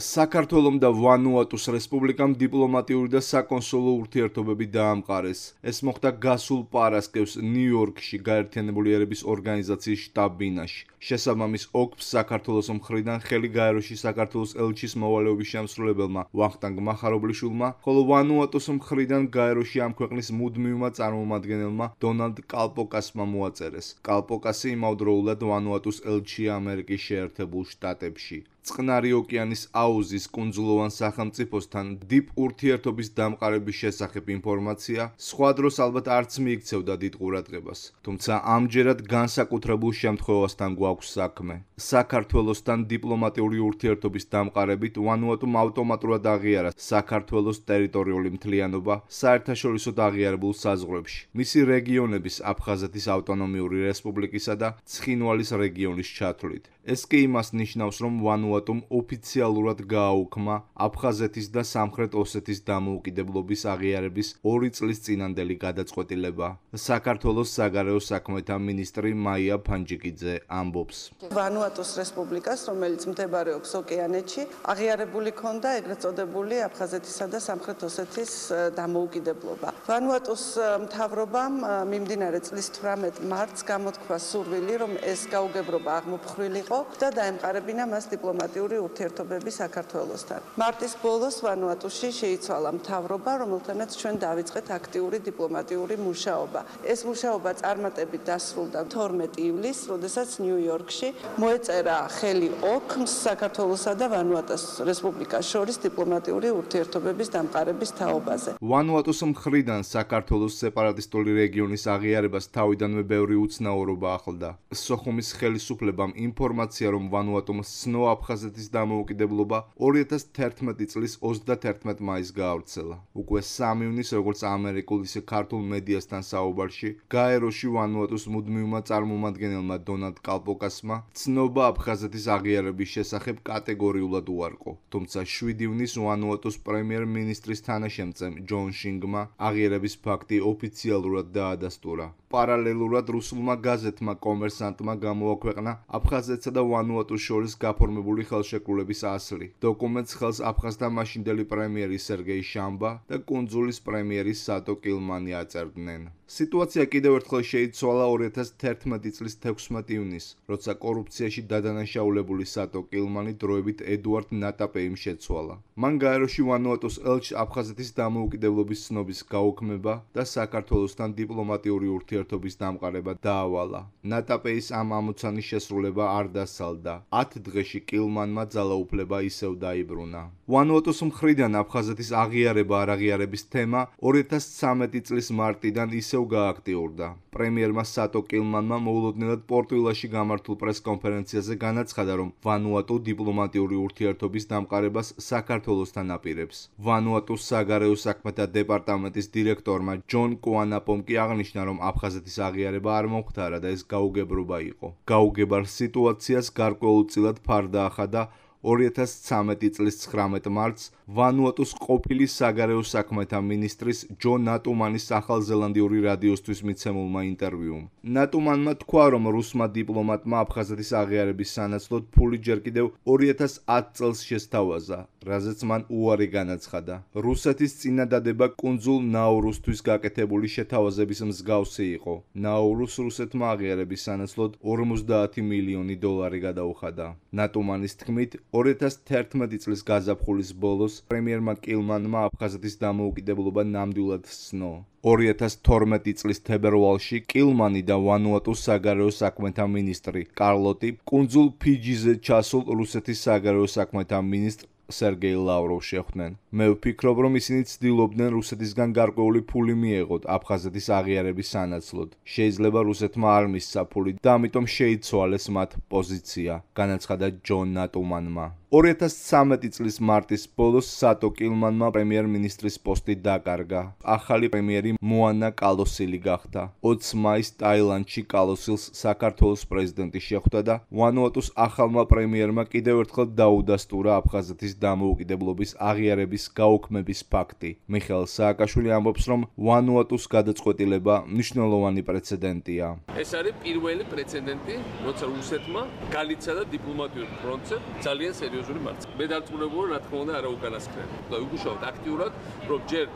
საქართველომ და ვანუატუს რესპუბლიკამ დიპლომატიური და საკონსულო ურთიერთობები დაამყარეს. ეს მოხდა გასულ პარასკევს ნიუ-იორკში გაერთიანებული ერების ორგანიზაციის შტაბ-ბინაში. შესაბამის ოქფს საქართველოს მხრიდან ხელი გაეროში საქართველოს ელჩის მოვალეობის შემსრულებელმა ვახტანგ მახარობლიშვილმა, ხოლო ვანუატუს მხრიდან გაეროში ამ ქვეყნის მუდმივმა წარმომადგენელმა დონალდ კალპოკასმა მოაწერეს. კალპოკასი იმავდროულად ვანუატუს ელჩია ამერიკის შეერთებულ შტატებში. წყნარი ოკეანის აუზის კუნძულოვან სახელმწიფოსთან დიპ ურთიერთობის დამყარების შესახებ ინფორმაცია სხვა დროს ალბათ არც მიიქცევდა დიდ ყურადღებას, თუმცა ამჯერად განსაკუთრებულ შემთხვევასთან გვაქვს საქმე. საქართველოსთან დიპლომატიური ურთიერთობის დამყარებით ვანუატუმ ავტომატურად აღიარა საქართველოს ტერიტორიული მთლიანობა საერთაშორისოდ აღიარებულ საზღვრებში, მისი რეგიონების აფხაზეთის ავტონომიური რესპუბლიკისა და ცხინვალის რეგიონის ჩათვლით. ეს კი იმას ნიშნავს, რომ ვანუატუმ ოფიციალურად გააუქმა აფხაზეთის და სამხრეთ ოსეთის დამოუკიდებლობის აღიარების 2 წლის წინანდელი გადაწყვეტილება. საქართველოს საგარეო საქმეთა მინისტრი მაია ფანჯიკიძე ამბობს. ვანუატუს რესპუბლიკას, რომელიც მდებარეობს ოკეანეთში, აღიარებული ჰქონდა ეგრეთ წოდებული აფხაზეთისა და სამხრეთ ოსეთის დამოუკიდებლობა. ვანუატუს მთავრობამ მიმდინარე წლის 18 მარტს გამოთქვა სურვილი, რომ ეს გაუგებრობა აღმოფხვრილიყო და დაემყარებინა მას დიპლომატიური ურთიერთობები საქართველოსთან. მარტის ბოლოს ვანუატუში შეიცვალა მთავრობა, რომელთანაც ჩვენ დავიწყეთ აქტიური დიპლომატიური მუშაობა. ეს მუშაობა წარმატებით დასრულდა 12 ივლისს, როდესაც ნიუ-იორკში მოეწერა ხელი ოქმს საქართველოსა და ვანუატუს რესპუბლიკას შორის დიპლომატიური ურთიერთობების დამყარების თაობაზე. ვანუატუს მხრიდან საქართველოს სეპარატისტული რეგიონის აღიარებას თავიდანვე ბევრი უცნაურობა ახლდა. სოხუმის ხელისუფლებამ ინფორმაცია, რომ ვანუატუმს სნო აფხაზეთის დამოუკიდებლობა 2011 წლის 31 მაისს გაავრცელა. უკვე 3 ივნის, როგორც ამერიკულ ისე ქართულ მედიასთან საუბარში, გაეროში ვანუატუს მუდმივმა წარმომადგენელმა დონალდ კალპოკასმა ცნობა აფხაზეთის აღიარების შესახებ კატეგორიულად უარყო. თუმცა 7 ივნის ვანუატუს პრემიერ-მინისტრის თანაშემწემ ჯონ შინგმა აღიარების ფაქტი ოფიციალურად დაადასტურა. პარალელურად რუსულმა გაზეთმა კომერსანტმა გამოაქვეყნა აფხაზეთსა და ვანუატუს შორის გაფორმებული ხელშეკრულების ასლი. დოკუმენტს ხელს აფხაზთა მაშინდელი პრემიერი სერგეი შამბა და კუნძულის პრემიერი სატო კილმანი აწერდნენ. სიტუაცია კიდევ ერთხელ შეიცვალა 2011 წლის 16 ივნისს, როცა კორუფციაში დადანაშაულებული სატო კილმანი დროებით ედუარდ ნატაპეიმ შეცვალა. მან გაეროში ვანუატუს ელჩს აფხაზეთის დამოუკიდებლობის ცნობის გაუქმება და საქართველოსთან დიპლომატიური ურთიერთობის დამყარება დაავალა. ნატაპეის ამ ამოცანის შესრულება არ დასალდა. 10 დღეში კილმანმა ძალაუფლება ისევ დაიბრუნა. ვანუატუს მხრიდან აფხაზეთის აღიარება არ აღიარების თემა 2013 წლის მარტიდან ისევ გააქტიურდა. პრემიერმა სატო კილმანმა მოულოდნელად პორტუგალიაში გამართულ პრესკონფერენციაზე განაცხადა, რომ ვანუატუ დიპლომატიური ურთიერთობის დამყარებას საქართველოსთან აპირებს. ვანუატუს საგარეო საქმეთა დეპარტამენტის დირექტორმა ჯონ კუანაპომ კი აღნიშნა, რომ აფხაზეთის აღიარება არ მომხდარა და ეს გაუგებრობა იყო. გაუგებრ სიტუაციას გარკვეულწილად ფარდა ახადა 2013 წლის 19 მარტს ვანუატუს ყოფილი საგარეო საქმეთა მინისტრის ჯო ნატუმანის ახალზელანდიური რადიოსთვის მიცემულმა ინტერვიუმ. ნატუმანმა თქვა, რომ რუსმა დიპლომატმა აფხაზეთის აღიარების სანაცვლოდ ფული ჯერ კიდევ 2010 წელს შესთავაზა, რაზეც მან უარი განაცხადა. რუსეთის წინადადება კუნძულ ნაურუსთვის გაკეთებული შეთავაზების მსგავსი იყო. ნაურუს რუსეთმა აღიარების სანაცვლოდ 50 მილიონი დოლარი გადაუხადა. ნატუმანის თქმით, 2011 წლის გაზაფხულის ბოლოს პრემიერმა კილმანმა აფხაზეთის დამოუკიდებლობა ნამდვილად სცნო. 2012 წლის თებერვალში კილმანი და ვანუატუს საგარეო საქმეთა მინისტრი კარლოტი კუნძულ ფიჯიზე ჩასულ რუსეთის საგარეო საქმეთა მინისტრ სერგეი ლავროვს შეხვდნენ. მე ვფიქრობ, რომ ისინი ცდილობდნენ რუსეთისგან გარკვეული ფული მიეღოთ აფხაზეთის აღიარების სანაცვლოდ. შეიძლება რუსეთმა არ მისცა ფული და ამიტომ შეიცვალეს მათ პოზიცია, განაცხადა ჯონ ნატუმანმა. 2013 წლის მარტის ბოლოს სატო კილმანმა პრემიერ-მინისტრის პოსტი დაკარგა. ახალი პრემიერი მოანა კალოსილი გახდა. 20 მაისს ტაილანდში კალოსილს საქართველოს პრეზიდენტი შეხვდა და ვანუატუს ახალმა პრემიერმა კიდევ ერთხელ დაუდასტურა აფხაზეთის საქართველოს დამოუკიდებლობის აღიარების გაუქმების ფაქტი. მიხეილ სააკაშვილი ამბობს, რომ ვანუატუს გადაწყვეტილება მნიშვნელოვანი პრეცედენტია. ეს არის პირველი პრეცედენტი, როცა რუსეთმა განიცადა დიპლომატიურ ფრონტზე ძალიან სერიოზული მარცხი. მე დარწმუნებული რა თქმა უნდა არა უკანასკნელი. და ვიგუშავთ აქტიურად, რომ ჯერ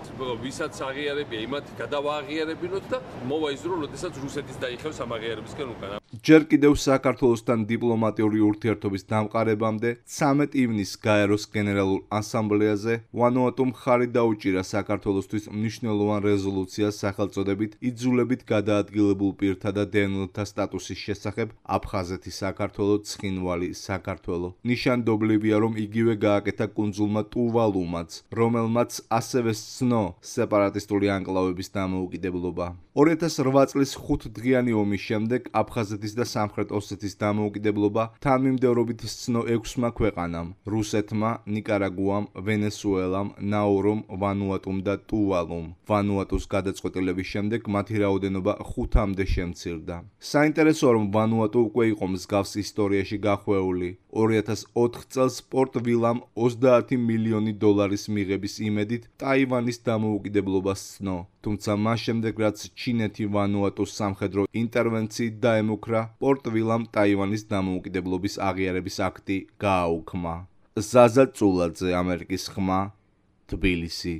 ვისაც აღიარებია, იმათ გადავააღიარებინოთ და მოვა ის დრო, როდესაც რუსეთის დაიხევს ამ აღიარებისკენ უკან. ჯერ კიდევ საქართველოსთან დიპლომატიური ურთიერთობის დამყარებამდე 13 ივნისს გაეროს გენერალურ ასამბლეაზე ვანუატუმ ხარი დაუჭირა საქართველოსთვის მნიშვნელოვან რეზოლუციას სახელწოდებით იძულებით გადაადგილებულ პირთა და დევნილთა სტატუსის შესახებ აფხაზეთი საქართველო, ცხინვალი საქართველო. ნიშანდობლივია, რომ იგივე გააკეთა კუნძულმა ტუვალუმაც, რომელმაც ასევე სცნო სეპარატისტული ანკლავების დამოუკიდებლობა. 2008 წლის 5 დღიანი ომის შემდეგ აფხაზეთის და სამხრეთ ოსეთის დამოუკიდებლობა თანმიმდევრობით სცნო 6-მა ქვეყანამ: რუსეთმა, ნიკარაგუამ, ვენესუელამ, ნაურუმ, ვანუატუმ და ტუვალუმ. ვანუატუს გადაწყვეტილების შემდეგ მათი რაოდენობა 5-მდე შემცირდა. საინტერესოა, რომ ვანუატუ უკვე იყო მსგავს ისტორიაში გახვეული. 2004 წელს პორტ ვილამ 30 მილიონი დოლარის მიღების იმედით ტაივანის დამოუკიდებლობას სცნო. თუმცა მას შემდეგ, რაც ჩინეთი ვანუატუს სამხედრო ინტერვენციით დაემუქრა, პორტ ვილამ ტაივანის დამოუკიდებლობის აღიარების აქტი გააუქმა. ზაზა წულაძე, ამერიკის ხმა, თბილისი.